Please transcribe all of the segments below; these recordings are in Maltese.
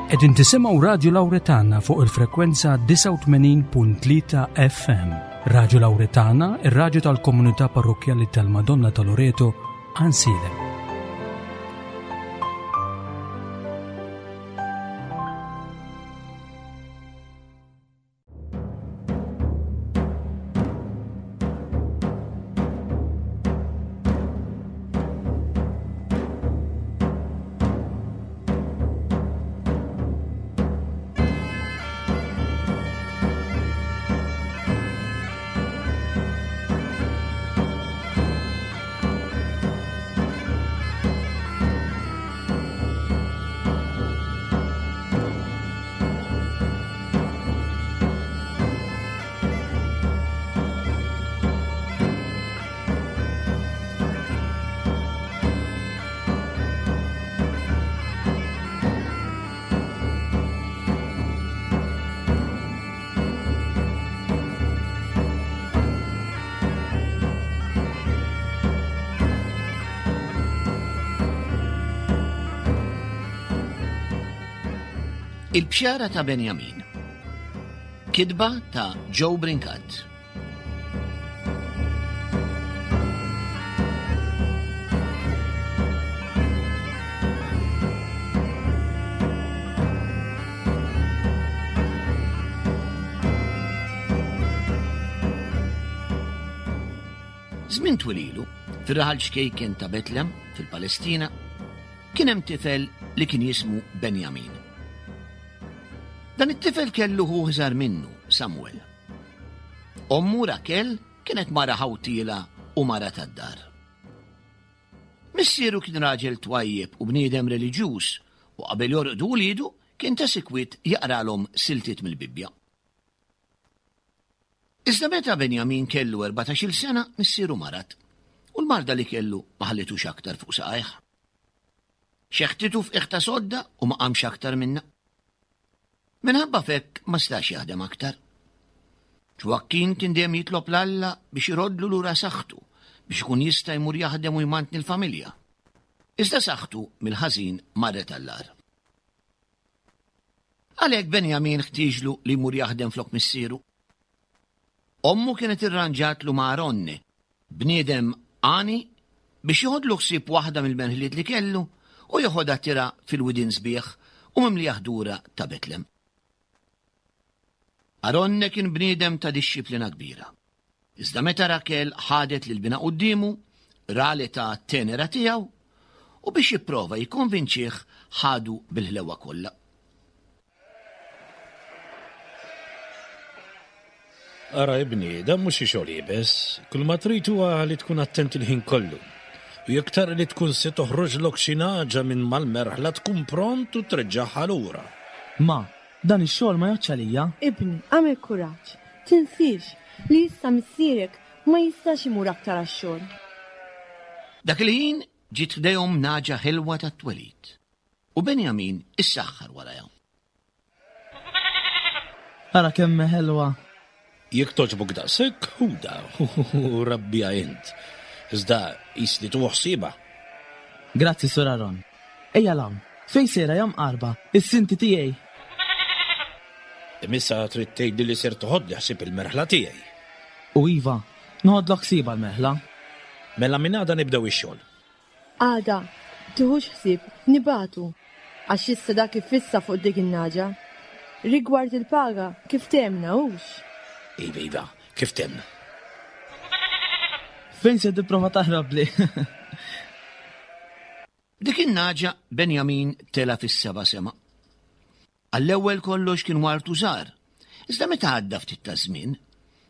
Qegħdin tisimgħu Radju Lawretana fuq il-frekwenza 89.3 FM. Radju Lawretana, ir-radju tal-komunità parrokkjali tal-Madonna ta' Loreto, Ansilem. Il-bxara ta' Benjamin. Kitba ta' Joe Brincat. Żmien twil ilu, fir-raħal ċkejken ta' Betlem, fil-Palestina, kien hemm tifel li kien jismu Benjamin. Dan it-tifel kellu ħuh iżgħar minnu, Samuel. Ommu Rakel kienet mara ħawtiela u mara tad-dar. Missieru kien raġel twajjeb u bniedem reliġjuż u qabel jorqdu wliedu kien ta' sikwit jaqralhom siltiet mill-Bibbja. Iżda meta Benjamin kellu erbatax-il sena missieru marad, u l-marda li kellu ma ħallitux aktar fuq saqajh. Xeħtitu f'qiegħ ta' sodda u ma qamx aktar minnha. Minħabba f'hekk ma setax jaħdem aktar. Ġwakkin kien dejjem jitlob 'l Alla biex iroddlu lura saħħtu biex ikun jista' jmur jaħdem u jmantni l-familja. Iżda saħħtu mill-ħażin marret għall-agħar. Għalhekk Benjamin ħtieġlu li jmur jaħdem flok missieru. Ommu kienet irranġatlu ma' Aronne, bniedem għani, biex joħodlu ħsieb waħda mill-merħliet li kellu u joħodha tirgħa fil-widien sbieħ u mimlija ħdura ta' Betlem. Aronne kien bniedem ta' dixxiplina kbira. Iżda meta Rakel ħadet lil binha quddiemu, ra l-età tenera tiegħu, u biex jipprova jikkonvinċih ħadu bil-ħlewwa kollha. Ara ibni, dan mhux xi xogħol iebes, kull ma trid huwa li tkun attent il-ħin kollu. U jekk tara li tkun se toħroġlok xi nagħġa minn mal-merħla tkun pront u treġġagħha lura. Ma, dan ix-xogħol ma jgħoddx għalija. Ibni, agħmel kuraġġ. Tinsiex li issa missierek ma jistax imur aktar għax-xogħol. Dak il-ħin ġiet ħdejhom nagħġa ħelwa tat-twelid, u Benjamin issaħħar warajha. Ara kemm hi ħelwa! Jekk togħġbok daqshekk, ħudha u rabbiha int. Iżda qis li tieħu ħsiebha. Grazzi, Sur Aron. Ejja 'l hawn. Fejn sejra ja mqarba, is-sinti tiegħi? Imma issa trid tgħidli li ser toħodli ħsieb il-merħla tiegħi. U iva, noħodlok ħsiebha l-merħla. Mela minn għada nibdew ix-xogħol. Għada, tiħux ħsieb, nibagħtu, għax issa dak iffissa fuq dik in-nagħġa. Rigward il-paga, kif ftehemna, hux? Iva, iva, kif ftehemna. Fejn se tipprova taħrabli? Dik in-nagħġa Benjamin tela' fis-seba' sema. Għall-ewwel kollox kien wartu żgħar, iżda meta għadda ftit taż-żmien,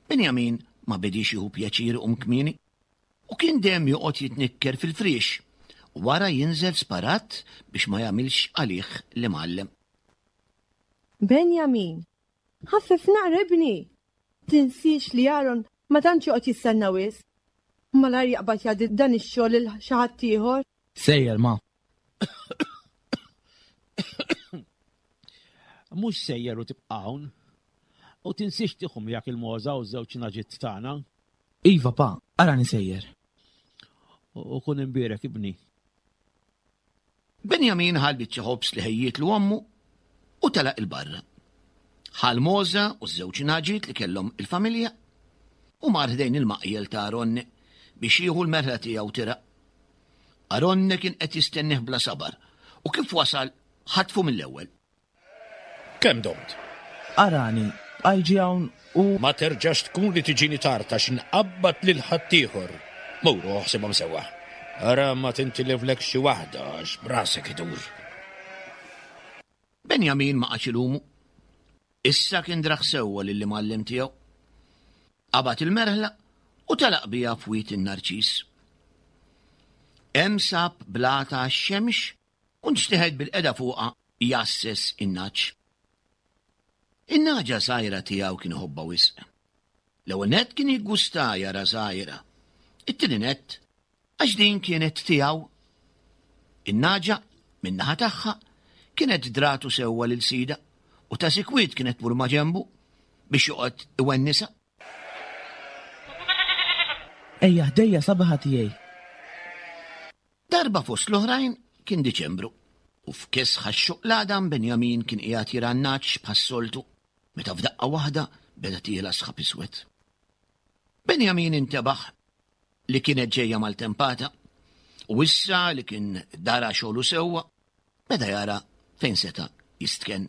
Benjamin ma bediex jieħu pjaċir iqum kmieni u kien dejjem joqgħod jitnikker fil-friex u wara jinżel sparat biex ma jagħmilx għalih l-imgħallem. Benjamin, ħaffef naqra ibni! Tinsiex li Aaron ma tantx joqgħod jistenna wisq. Malajr jaqbad jgħaddi dan ix-xogħol lil xi ħadd ieħor. Sejjer, ma. Mhux sejjer u tibqa' hawn. U tinsiex tieħu miegħek il-mogħża u ż-żewġ nagħġiet tagħna. Iva, pa, arani sejjer. U kun imbierek, ibni. Benjamin ħa l-biċċa ħobż li ħejjietlu ommu. U telaq 'il barra. Ħa l-mogħża u ż-żewġ nagħġiet li kellhom il-familja u mar ħdejn il-maqjel ta' Aronne biex jieħu l-merħla tiegħu tirgħa. Aronne kien qed jistennih bla sabar u kif wasal ħatfu mill-ewwel. Kemm domt? Arani, bqajt ġie hawn u. Ma terġax tkun li tiġini tard għax inqabbad lil ħaddieħor. Mur u oħsibhom sewwa. Ara ma tintiliflekx xi waħda għax b'rasek idur. Benjamin ma qagħadx ilumu. Issa kien draħ sewwa lill-imgħallem tiegħu. Qabad il-merħla u telaq biha f'Wied in-Narċis. Hemm sab blata għax-xemx u nxteħet bil-qeda fuqha jgħasses in-nagħaġ. In-nagħġa żgħira tiegħu kien iħobbha wisq. L-ewwel nett kien jiggusta jara żgħira. It-tieni nett għax din kienet tiegħu. In-nagħġa, min-naħa tagħha, kienet dratu sewwa lil sidha u ta' sikwit kienet tmur maġenbu biex joqgħod iwennisha. Ejja ħdejja sabiħa tiegħi. Darba fost l-oħrajn kien Diċembru u f'kesħa x-xoq l-għadam Benjamin kien qiegħed jirgħa n-nagħaġ bħas-soltu meta f'daqqa waħda beda tiela' sħab iswed. Benjamin intebaħ li kienet ġejja maltempata u issa li kien dara xogħlu sewwa beda jara fejn seta' jistkenn.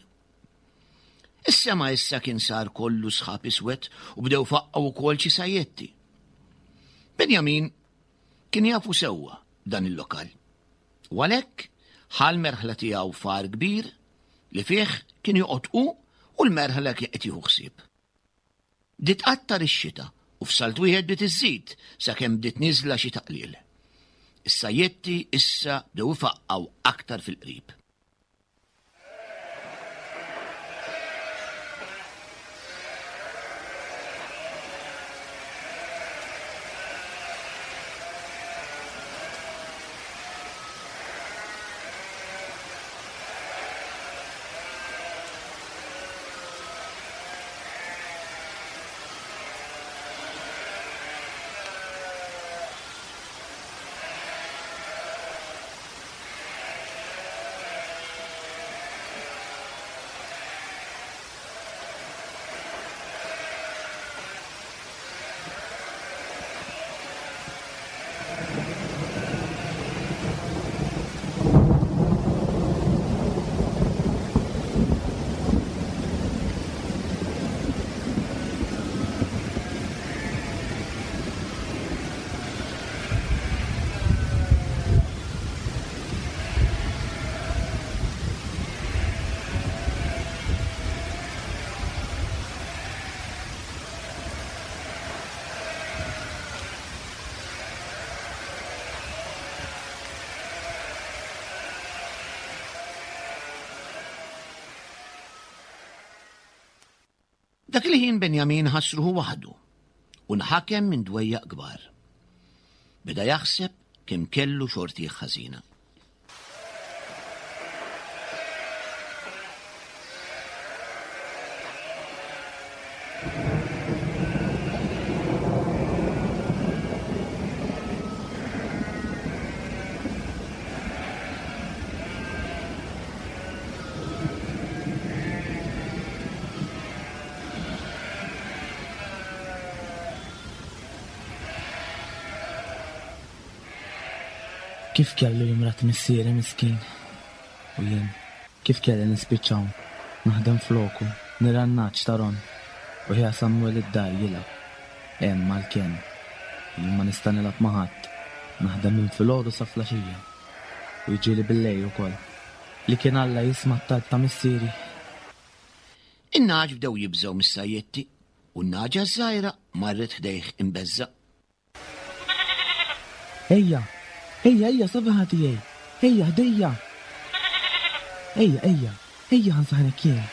Is-sema issa kien sar kollu sħab iswed u bdew faqqgħu wkoll xi sajjetti. Benjamin kien jafu sewwa dan il-lokal. U għalhekk ħa l-merħla tiegħu f'għar kbir li fih kien joqgħod hu u l-merħla kien qed jieħu ħsieb. Bdiet tqattar ix-xita u f'salt wieħed bdiet iżżid sakemm bdiet nieżla xita qliel. Is-sajjetti issa bdew ifaqqgħu aktar fil-qrib. Dak il-ħin Benjamin ħass ruħu waħdu u nħakem minn dwejjaq kbar. Beda jaħseb kemm kellu xortih ħażina. Kif kellu jimrad missieri miskin? U jien, kif kelli nispiċċa hawn, naħdem floku, nirgħa n-nagħaġ ta' Ron, u ħija Samuel id-dar jilgħab hemm mal-kenn. Jien ma nista' nilgħab ma' ħadd, naħdem minn filgħodu sa flaxija. U jiġieli billejl ukoll. Li kien Alla jisma' t-talb ta' missieri. In-nagħaġ bdew jibżgħu mis-sajjetti u n-nagħġa ż-żgħira marret ħdejh imbeżżgħa. Ejja! Ejja, ejja, sabiħa tiegħi! Ejja ħdejja! Ejja, ejja, ejja ħa nsaħħnek jien!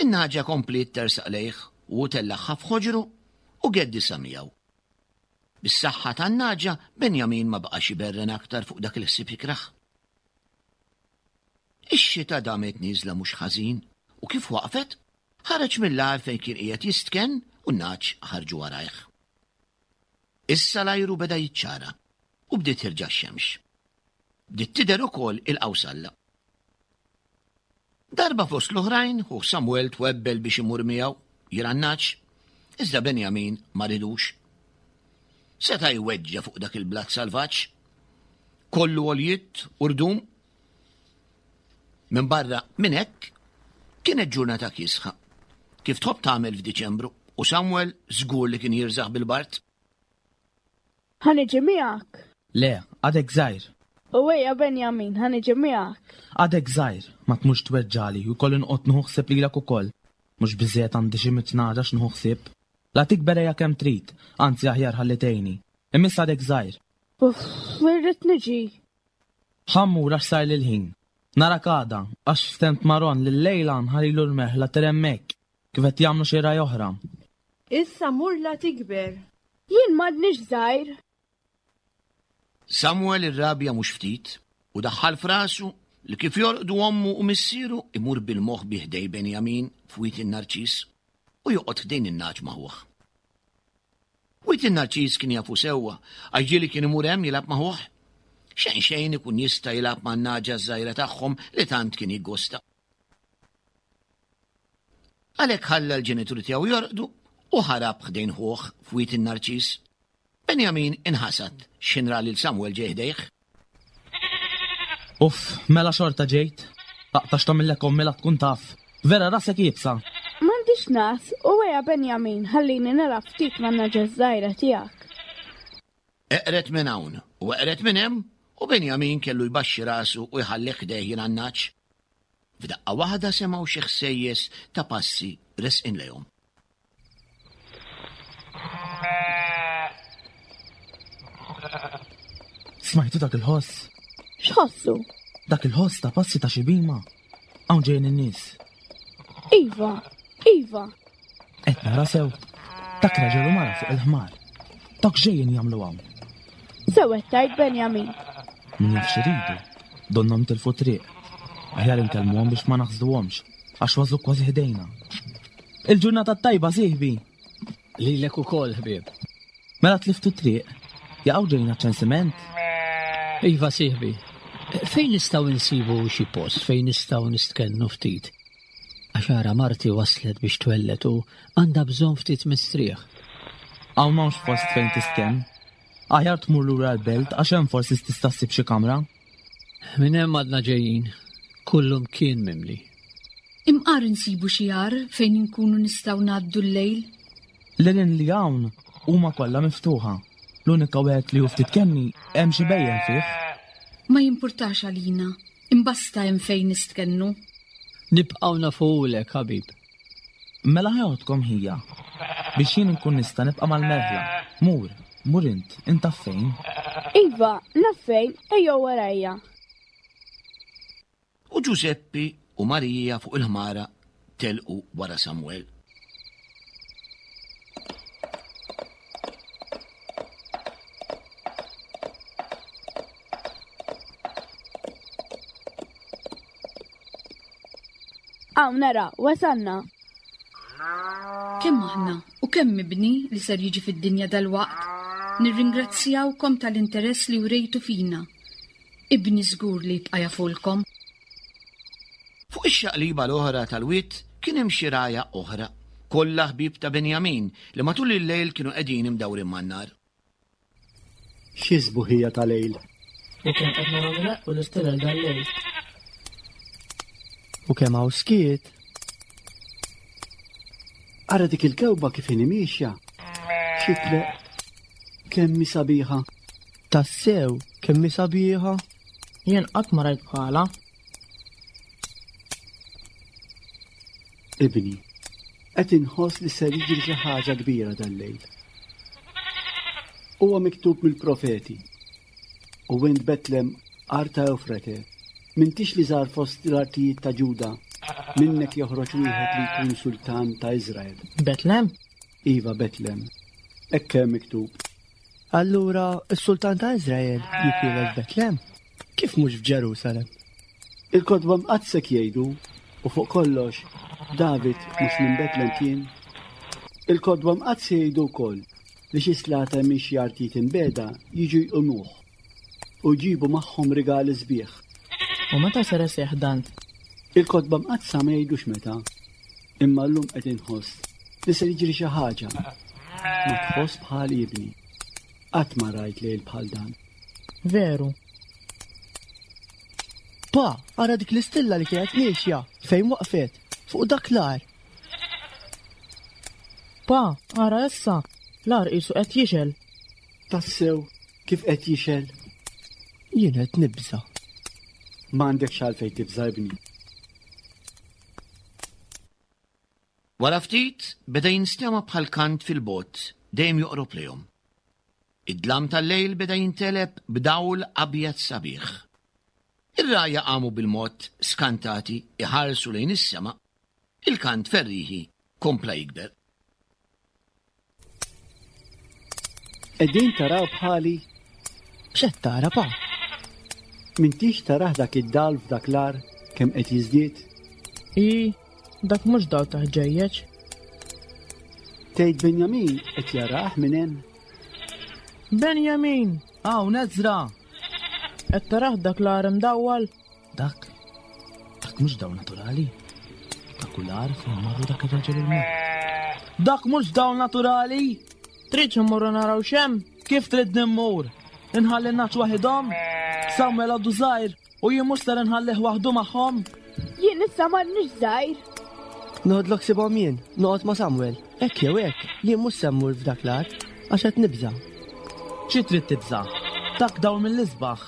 In-nagħġa kompliet tersaq lejh u hu tellagħha f'ħoġru u geddisha miegħu. Bis-saħħa tan-nagħġa, Benjamin ma baqax iberren aktar fuq dak il-ħsieb ikrah. Ix-xita damet nieżla mhux ħażin u kif waqfet, ħareġ mill-għar fejn kien qiegħed jistkenn u n-nagħaġ ħarġu warajh. Issa l-ajru beda jiċċara u bdiet tirġa' x-xemx. Bdiet tidher ukoll il-qawsalla. Darba fost l-oħrajn, ħuh Samwel twebbel biex imur miegħu jirgħa n-nagħaġ, iżda Benjamin ma ridux. Seta' jweġġa' fuq dak il-blat salvaġġ, kollu għoljiet u rdum. Minbarra minn hekk, kienet ġurnata kiesħa, kif tħobb tagħmel f'Diċembru, u Samwel żgur li kien jirżaħ bil-bard. Ħa niġi miegħek. Le, għadek żgħir. U ejja Benjamin, ħa niġi miegħek. Għadek żgħir, ma tmurx tweġġagħli u jkolli noqgħod nieħu ħsieb lilek ukoll. Mhux biżżejjed għandi xi mitt nagħġa x'nieħu ħsieb. La tikber ejja kemm trid, anzi aħjar ħalli tgħinni. Imma issa għadek żgħir. Uff, irrid niġi. Ħa mmur għax sarli l-ħin. Narak għada, għax ftemt ma' Ron li llejla nħallilu l-merħla tir hemmhekk, kif qed jagħmlu xi ragħaj oħra. Issa mur la tikber. Jien m'għadnix żgħir. Samuel irrabja mhux ftit u daħħal f'rasu li kif jorqdu ommu u missieru imur bil-moħbi ħdej Benjamin f'Wied in-Narċis u joqgħod ħdejn in-nagħaġ ma' ħuh. Wied in-Narċis kien jafu sewwa għax ġieli kien imur hemm jilgħab ma' ħuh. Xejn xejn ikun jista' jilgħab man-nagħġa ż-żgħira tagħhom li tant kien jiggosta. Għalhekk ħalla l-ġenituri tiegħu jorqdu u ħarab ħdejn ħuh f'Wied in-Narċis. Benjamin inħasad x'ħin ra lil Samwel ġej ħdejh. Uff, mela xorta ġejt. Aqta' x'tagħmillek ommi la tkun taf. Vera rasek iebsa. M'għandix ngħas, u ejja Benjamin ħallini nilgħab ftit man-nagħġa ż-żgħira tiegħek. Eqred minn hawn u eqred minn hemm u Benjamin kellu jbaxxi rasu u jħallih ħdejh jingħan-nagħaġ. F'daqqa waħda semgħu xi ħsejjes ta' passi resqin lejhom. Smajtu dak il-ħoss? X'ħossu? Dak il-ħoss ta' passi ta' xi bhima. Hawn ġejjin in-nies. Iva, iva. Qed nara sew. Dak raġel u mara fuq il-ħmar. Dak ġejjin jagħmlu hawn. Sew qed tgħid Benjamin. Min jaf x'iridu. Donnhom tilfu triq. Aħjar inkellmuhom biex ma naħsduhomx, għax waslu kważi ħdejna. Il-ġurnata t-tajba, sieħbi! Lilek ukoll, ħbieb. Mela tliftu t-triq? Jaqaw ġejjin għaċ-ċensiment? Iva, sieħbi. Fejn nistgħu nsibu xi post fejn nistgħu nistkennu ftit? Għax ara marti waslet biex twelled u għandha bżonn ftit mistrieħ. Hawn m'hawnx post fejn tistkenn. Aħjar tmur lura l-belt għax hemm forsi tista' ssib xi kamra. Minn hemm għadna ġejjin. Kullumkien mimli. Imqar insibu xi għar fejn inkunu nistgħu ngħaddu l-lejl. L-għerien li hawn huma kollha miftuħa. L-unika wieħed li hu ftit kenni hemm xi bhejjem fih. Ma jimpurtax għalina, imbasta hemm fejn nistkennu. Nibqgħu nafuhulek, ħabib. Mela ħa joħodkom ħija, biex jien inkun nista' nibqa' mal-merħla. Mur, mur int, int taf fejn. Iva, naf fejn, ejjew warajja. U Ġużeppi u Marija fuq il-ħmara telqu wara Samwel. Hawn nara, wasalna. Kemm aħna u kemm ibni li ser jiġi fid-dinja dalwaqt, nirringrazzjawkom tal-interess li wrejtu fina. Ibni żgur li jibqa' jafulkom. Fuq ix-xaqliba l-oħra tal-wied kien hemm xi rgħajja oħra, kollha ħbieb ta' Benjamin li matul il-lejl kienu qegħdin imdawrin man-nar. Xi sbuħija ta' lejl! U kemm qed naraw ileqqu l-istilel dal-lejl. U kemm hawn skiet! Ara dik il-kewba kif inhi miexja. Xi tleqq! Kemm hi sabiħa! Tassew, kemm hi sabiħa! Jien qatt ma rajt bħalha. Ibni, qed inħoss li ser jiġri xi ħaġa kbira dal-lejl. Huwa miktub mill-profeti. U int Betlem, art ta' Ewfrate, m'intix li żgħar fost l-artijiet ta' Ġuda, minnek joħroġ wieħed li jkun sultan ta' Iżrael. Betlem? Iva, Betlem. Hekk hemm miktub. Allura s-sultan ta' Iżrael jitwieled f'Betlem? Kif mhux f'Ġerusalem? Il-Kotba Mqaddsa hekk jgħidu, u fuq kollox, David mhux minn Betlem kien? Il-Kotba Mqaddsa jgħidu wkoll li xi slaten minn xi artijiet imbiegħda jiġu jqumuh u jġibu magħhom rigali sbieħ. U meta ser iseħħ dan? Il-Kotba Mqaddsa ma jgħidux meta, imma llum qed inħoss li ser jiġri xi ħaġa. Ma tħoss bħali ibni. Qatt ma rajt lejl bħal dan. Veru. Pa, ara dik l-istilla li kienet miexja fejn waqfet, fuq dak l-għar. Pa, ara issa, l-għar qisu qed jixgħel. Tassew, kif qed jixgħel? Jien qed nibża'. M'għandekx għalfejn tibża' ibni. Wara ftit beda jinstema' bħal kant fil-bogħod dejjem joqrob lejhom. Id-dlam tal-lejl beda jinteleb b'dawl abjad sabiħ. Ir-rgħajja qamu bil-mod skantati iħarsu lejn is-sema, il-kant ferrieħi kompla jikber. Qegħdin taraw bħali? X'qed tara, pa? M'intix tarah dak id-dawl f'dak l-għar kemm qed jiżdied? I, dak mhux dawl ta' ħġejjeġ. Tgħid Benjamin qed jarah minn hemm? Benjamin! Hawn Ezra! Qed tarah dak l-għar imdawwal? Dak, dak mhux dawl naturali. Dak hu l-għar fejn marru dak ir-raġel il-mod. Dak mhux dawl naturali! Tridx immorru naraw x'hemm? Kif tridni mmur? Inħalli n-nagħaġ waħidhom? Samuel għadu żgħir u jien mhux ser inħallih waħdu magħhom. Jien issa m'għadnix żgħir. Noħodlok sibhom jien, noqgħod ma' Samuel. Hekk jew hekk, jien mhux se mmur f'dak l-għar, għax qed nibża'. Xi trid tibża'? Dak dawl mill-isbaħ.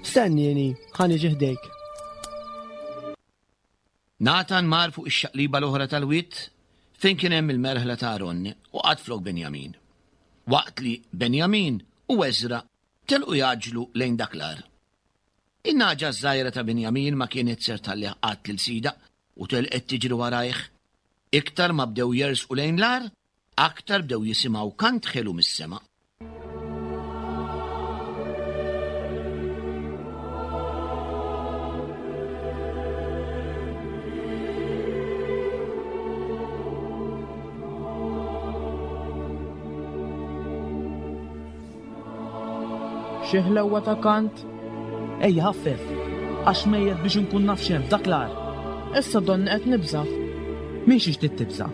Stennieni, ħa niġi ħdejk. Natan mar fuq ix-xaqliba l-oħra tal-wied fejn kien hemm il-merħla ta' Aron u qagħad flok Benjamin, waqt li Benjamin u Eżra telqu jgħaġġlu lejn dak l-għar. In-nagħġa ż-żgħira ta' Benjamin ma kienet ser tħallih qatt lil sidha u telqet tiġri warajh. Iktar ma bdew jersqu lejn l-għar, Aktar bdew jisimgħu kant ħelu mis-sema. Xi ħlewwa ta' kant! Ejja ħaffef, għax mejjet biex inkun naf x'hemm f'dak l-għar. Issa donni qed nibża'. Minn xiex trid tibża'?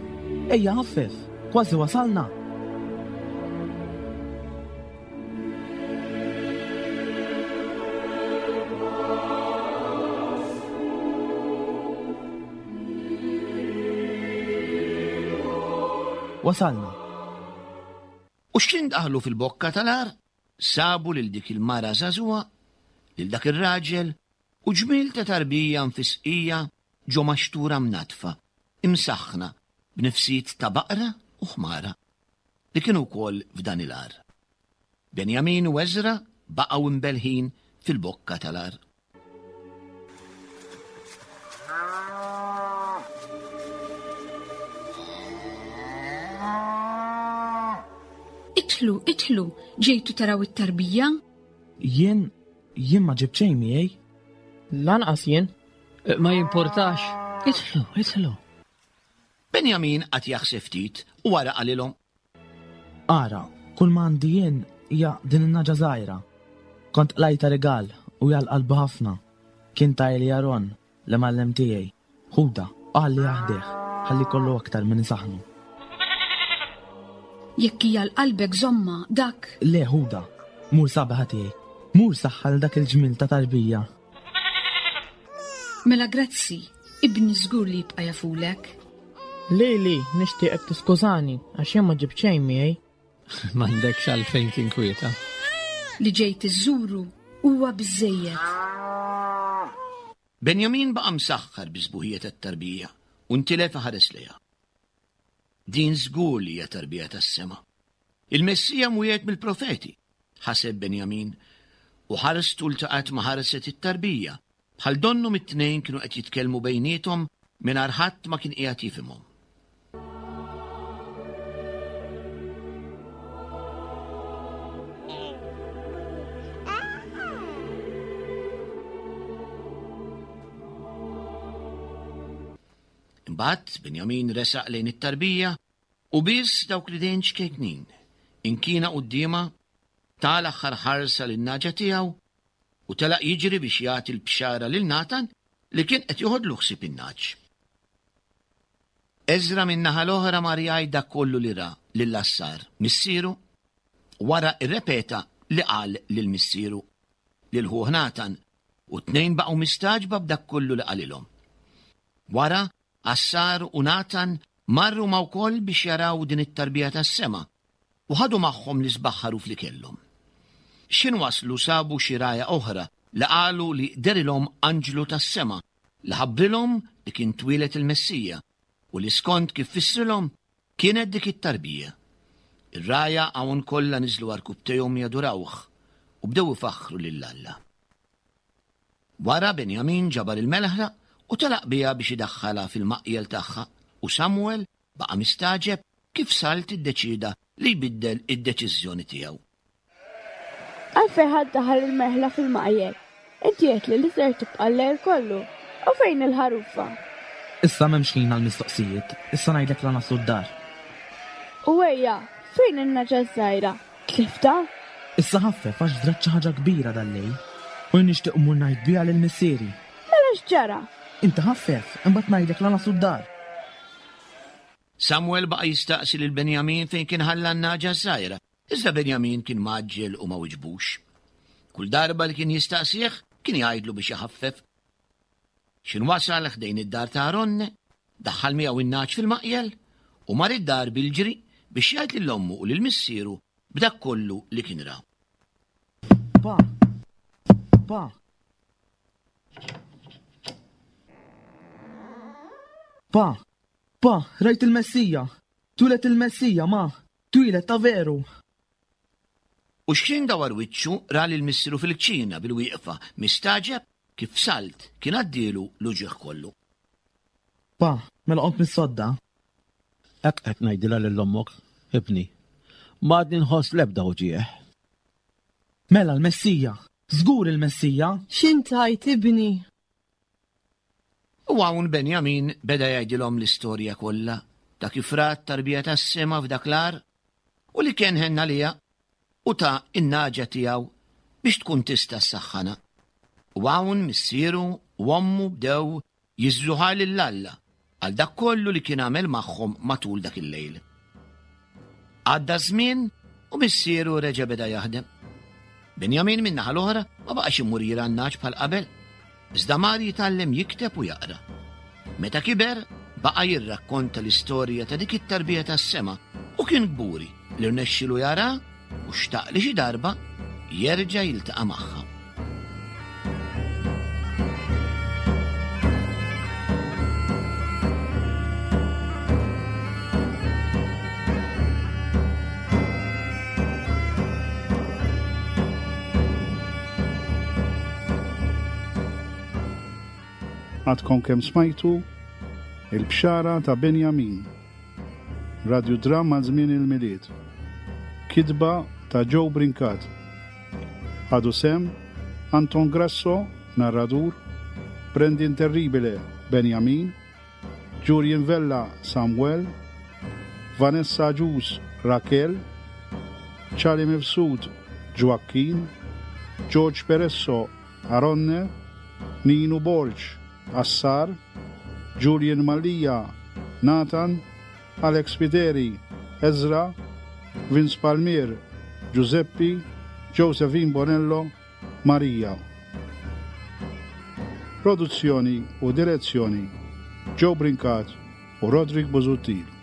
Ejja ħaffef, kważi wasalna. Wasalna. U x'kien daħlu fil-bokka tal-għar, sabu lil dik il-mara żagħżugħa, lil dak ir-raġel, u ġmiel ta' tarbija mfisqija ġo maxtura mnaddfa, imsaħħna b'nifsijiet ta' baqra u ħmara, li kienu wkoll f'dan il-għar. Benjamin u Eżra baqgħu mbellħin fil-bokka tal-għar. Idħlu, idħlu, ġejtu taraw it-tarbija? Jien, jien ma ġibt xejn miegħi. Lanqas jien. Ma jimportax. Idħlu, idħlu. Benjamin qagħad jaħseb ftit u wara qalilhom. Ara, kull ma għandi jien hija din in-nagħġa żgħira. Kont qlajtha rigal u hija għal qalbi ħafna. Kien tahieli Aron, l-imgħallem tiegħi. Ħudha u ħalliha ħdejh, ħalli jkollu aktar min isaħħnu. Jekk hija għal qalbek żommha, dak. Le, ħudha. Mur sabiħa tiegħi. Mur saħħan dak il-ġmiel ta' tarbija. Mela grazzi, ibni żgur li jibqa' jafulek. Lili, nixtieqek tiskużani għax jien ma ġibt xejn miegħi. M'għandekx għalfejn tinkwieta. Li ġejt iżżuru huwa biżżejjed. Benjamin baqa' msaħħar bis-sbuħija tat-tarbija u ntilef iħares lejha. Din żgur li hija tarbija tas-sema. Il-Messija mwiegħed mill-profeti, ħaseb Benjamin, u ħarstu ltaqgħet ma' ħarset it-tarbija, bħal donnhom it-tnejn kienu qed jitkellmu bejniethom mingħajr ħadd ma kien qiegħed jifhimhom. Imbagħad Benjamin resaq lejn it-tarbija U biss dawk l-idejn ċkejknin, inkina quddiemha, ta l-aħħar ħarsa lin-nagħġa tiegħu u telaq jiġri biex jagħti l-bxara lil Natan. li kien qed joħodlu ħsieb in-nagħaġ. Eżra min-naħa l-oħra mar jgħid dak kollu li ra lil Assar, missieru, wara rrepeta li qal lil missieru, lil ħuh Natan, u t-tnejn baqgħu mistagħġba b'dak kollu li qalilhom. Wara, Assar u Natan marru huma wkoll biex jaraw din it-tarbija tas-sema, u ħadu magħhom l-isbaħ ħaruf li kellhom. X'ħin waslu sabu xi rgħajja oħra li qalu li dehrilhom anġlu tas-sema li ħabbrilhom li kien twieled il-Messija u li skont kif fissrilhom kienet dik it-tarbija. Ir-rgħajja hawn kollha niżlu għarkupptejhom jadurawh u bdew ifaħħru lil Alla. Wara Benjamin ġabar il-melħla u telaq biha biex idaħħalha fil-maqjel tagħha u Samwel baqa' mistagħġeb kif Salt iddeċieda li jbiddel id-deċiżjoni tiegħu. Għalfejn ħa ddaħħal il-merħla fil-maqjel? Inti għedtli li ser tibqa' l-lejl kollu. U fejn il-ħarufa? Issa m'hemmx ħin għall-mistoqsijiet, issa ngħidlek la naslu d-dar. U ejja, fejn in-nagħġa ż-żgħira? Tliftha? Issa ħaffef għax ġrat xi ħaġa kbira dal-lejl u jien nixtieq mmur ngħid biha lil missieri. Mela x'ġara? Inti ħaffef, imbagħad ngħidlek la naslu d-dar. Samwel baqa' jistaqsi lil Benjamin fejn kien ħalla n-nagħġa ż-żgħira, iżda Benjamin kien mgħaġġel u ma wiġbux. Kull darba li kien jistaqsih, kien jgħidlu biex iħaffef. X'in wasal ħdejn id-dar ta' Aronne, daħħal miegħu n-nagħaġ fil-maqjel u mar id-dar bil-ġri biex jgħid lil ommu u lil missieru b'dak kollu li kien ra. Pa! Pa! Pa! Pa! Rajt il-Messija! Twieled il-Messija, ma! Twieled ta' veru! U x'ħin dawar wiċċu ra lil missieru fil-kċina bil-wieqfa, mistagħġeb kif f'salt kien għaddielu l-uġigħ kollu. Pa, mela qomt mis-sodda? Hekk qed ngħidilha lil ommok, ibni. M'għadni nħoss l-ebda uġigħ. Mela l-Messija! Żgur il-Messija! X'int tgħid, ibni? U hawn Benjamin beda jgħidilhom l-istorja kollha ta' kif ra t-tarbija tas-sema f'dak l-għar u li kien ħenn għaliha u ta n-nagħġa tiegħu biex tkun tista' ssaħħanha. U hawn missieru u ommu bdew jiżżuha lil Alla għal dak kollu li kien għamel magħhom matul dak il-lejl. Għadda ż-żmien u missieru reġa' beda jaħdem. Benjamin min-naħa l-oħra ma baqax imur jirgħa n-nagħaġ bħal qabel, iżda mar jitgħallem jikteb u jaqra. Meta kiber, baqa' jirrakkonta l-istorja ta' dik it-tarbija tas-sema u kien kburi li rnexxielu jara u xtaq li xi darba jerġa' jiltaqa' magħha. Għadkom kemm smajtu Il-Bxara ta' Benjamin. Radjudramm għal żmien il-Milied. Kitba ta' Joe Brincat. Ħadu sehem, Anton Grasso, narradur, Brandon Terribile, Benjamin, Julian Vella, Samuel, Vanessa Agius, Raquel, Charlie Mifsud, Joaquin, George Peresso, Aronne, Ninu Borg, Assar, Julian Mallia, Nathan, Alex Spiteri, Ezra, Vince Palmier, Giuseppi, Josephine Bonello, Maria. Produzzjoni u direzzjoni Joe Brincat u Roderick Busuttil.